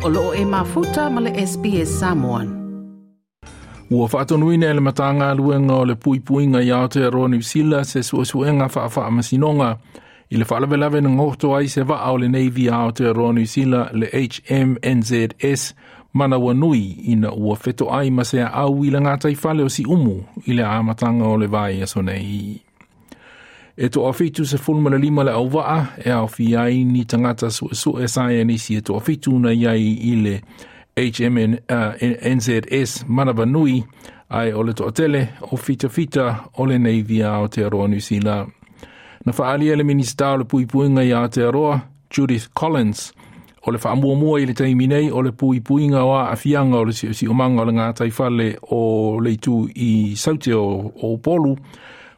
O loo e mafuta ma le SBS Samoan. Ua faatonuina e le Matagaluega o le Puipuiga i Aotearoa Niu Sila se suesuega faafaamasinoga i le faalavelave na goto ai se vaa o le Navy a Aotearoa Niu Sila le HMNZS Manawanui ina ua fetoai ma se aau i le gataifale o Siumu i le amataga o le vaiaso nei. E 75 le auvaa e aofia ai ni tagata suesue saienisi e 7 na iai i le HMNZS Manawanui ae o le toatele o fitafita o le Navy a Aotearoa Niu Sila. Na faaalia le Minisita o le Puipuiga i Aotearoa, Judith Collins, o le faamuamua i le taimi nei o le puipuiga o aafiaga o le siosiomaga o le gataifale o le itu i Saute o Upolu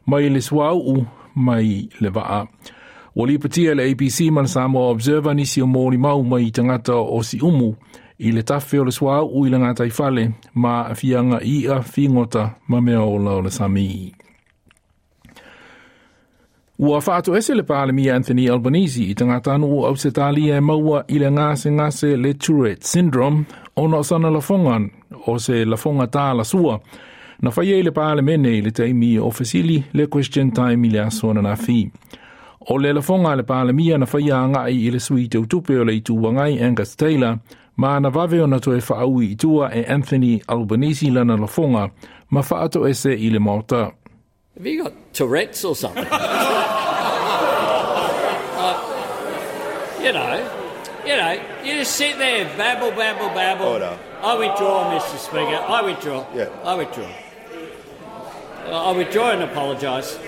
mai le suauu mai le vaa. Ua lipotia e le ABC ma le Samoa Observer nisi o molimau mai tagata o Siumu i le tafe o le suauu i le gataifale ma aafiaga i i'a, figota ma mea ola o le sami. Ua faatoese le Palemia Anthony Albanese i tagatanuu o Ausetalia e maua i le gasegase le Tourette Syndrome ona o sana lafoga o se lafoga talasua na faia i le Palemene i le taimi o fesili le Question Time i le aso ananafi. O le lafoga a le Palemia na faia agai i le sui teutupe o le Itu Agai Angus Taylor ma na vave ona toe faaui i tua e Anthony Albanese lana lafoga ma faatoese i le Maota. Have you got Tourette's or something? You just sit there, babble, babble, babble. Order. I withdraw, Mr. Speaker. I withdraw. Yeah. I withdraw. I withdraw and apologise.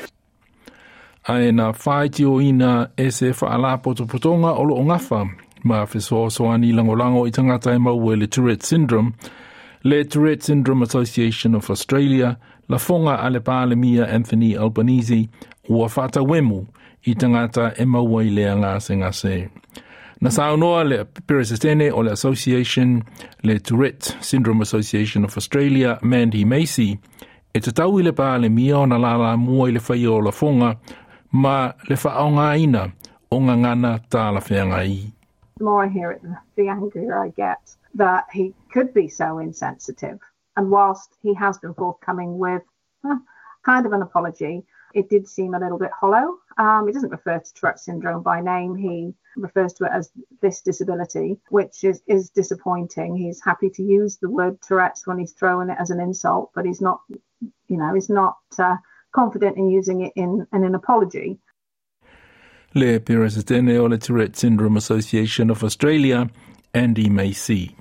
Ae na faitioina e se faalapotopotoga o loo gafa ma fesoasoani lagolago i tagata e maua i le Tourette Syndrome, le Tourette Syndrome Association of Australia, lafoga a le Palemia Anthony Albanese ua faatauemu i tagata e maua i lea gasegase. Na saunoa le Peresetene o le Association, le Tourette Syndrome Association of Australia, Mandy Macy, e tatau i le Palemia ona lalamua i le faia o lafoga ma le faaaogaina o gagana talafeagai. The more I hear it, the angrier I get that he could be so insensitive. And whilst he has been forthcoming with kind of an apology, it did seem a little bit hollow. He doesn't refer to Tourette syndrome by name. He refers to it as this disability, which is disappointing. He's happy to use the word Tourette's when he's throwing it as an insult, but he's not, you know, he's not confident in using it in an apology. Le Peresetene o le Tourette Syndrome Association of Australia, Andy Macy.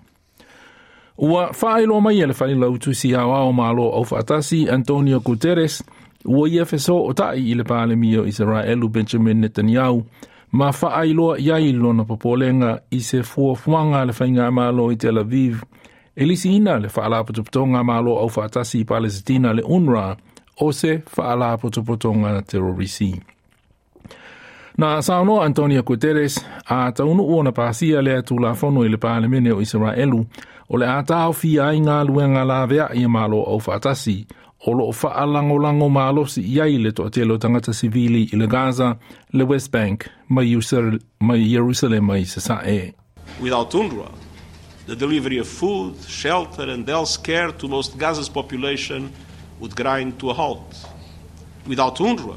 Ua faailoa mai e le Failautusi Aoao Malo Aufaatasi Antonio Guterres ua ia fesootai i le Palemia o Isaraelu Benjamin Netanyahu ma faailoa iai lona popolega i se fuafuaga a le faigamalo i Tel Aviv e lisiina le faalapotopotoga Malo Aufaatasi i Palesitina le UNRWA o se faalapotopotoga terorisi. Na saunoa Antonio Guterres a taunuu ona pasia lea Tulafono i le Palemene o Isaraelu o le a taofia ai galuega laveai a Malo Aufaatasi o loo faalagolago malosi i ai le toatele o tagata sivili i le Gaza, le West Bank ma Ierusalema i Sasae. Without UNRWA, the delivery of food, shelter and health care to most Gaza's population would grind to a halt. Without UNRWA,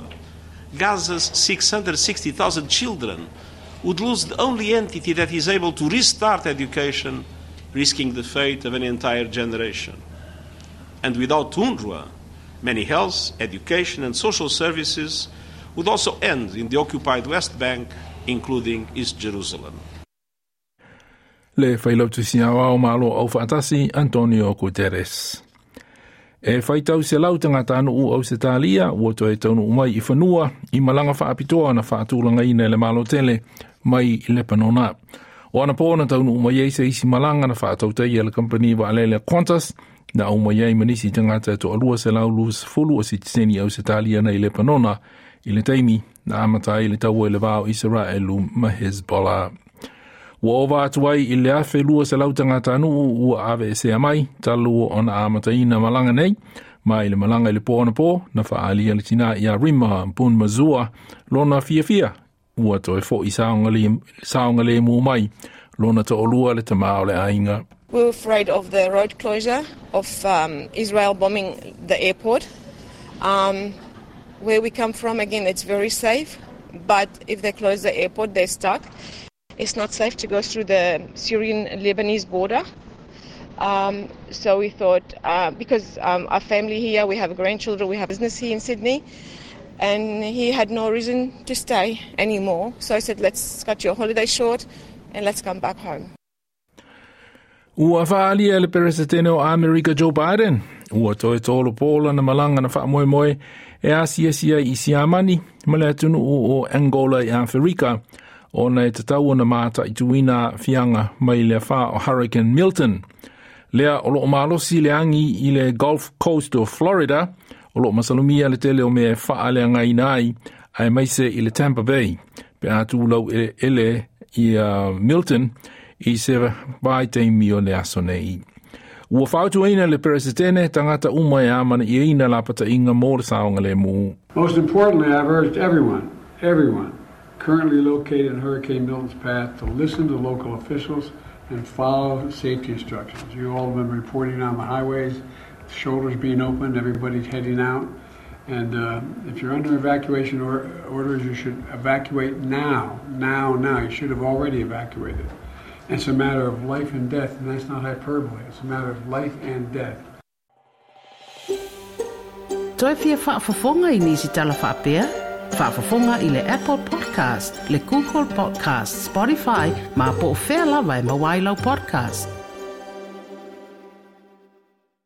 Gaza's 660,000 children would lose the only entity that is able to restart education, risking the fate of an entire generation. And without UNRWA, many health, education and social services would also end in the occupied West Bank, including East Jerusalem. Le Failautusi Aoao Malo Aufaatasi Antonio Guterres. E faitau selau tagatanuu Ausetalia ua toe taunuu mai i fanua i malaga faapitoa na faatulagaina e le Malo tele mai Lepanona. O anapo na taunuu mai ai se isi malaga na faatautaia e le kampani vaalele Qantas na au mai ai ma nisi tagata e 220 o sitiseni Ausetalia nei Lepanona i le taimi na amata ai le taua i le va o Isaraelu ma Hezbollah. Ua ova atu ai i le 1,200 tagatanuu ua aveesea mai talu ona amataina malaga nei, ma i le malaga i le po anapo na faaalia le tinā ia Rima Bunmazua lona fiafia ua toe fo'i saogalemu mai Lona toʻalua le tama o le aiga. We were afraid of the road closure, of Israel bombing the airport. Where we come from, again, it's very safe. But if they close the airport, they're stuck. It's not safe to go through the Syrian-Lebanese border. So we thought, because our family here, we have grandchildren, we have business here in Sydney, and he had no reason to stay anymore. So I said, let's cut your holiday short and let's come back home. Ua faaalia e le Peresetene o Amerika Joe Biden, ua toe tolu po lana malaga na faamoemoe e asiasi ai i Siamani ma le atunuu o Angola i Aferika, ona e tatau ona mataituina aafiaga mai le afa o Hurricane Milton. Lea o loo malosi le agi i le Gulf Coast o Florida, o loo masalomia le tele o mea e faaleagaina ai, aemaise i le Tampa Bay, pe a tulau eleele ia Milton i se vaitaimi o le aso nei. Ua fautuaina le Peresetene tagata uma e amanaiaina lapataiga mo le saogalemu. Most importantly, I've urged everyone, everyone currently located in Hurricane Milton's path to listen to local officials and follow safety instructions. You all have been reporting on the highways, shoulders being opened, everybody's heading out. And if you're under evacuation orders, you should evacuate now, now, now. You should have already evacuated. It's a matter of life and death, and that's not hyperbole. It's a matter of life and death. Toe fia faafofoga i nisi tala faapea? Faafofoga i le Apple Podcast, le Google Podcast, Spotify, ma po o fea lava e maua ai lau podcast.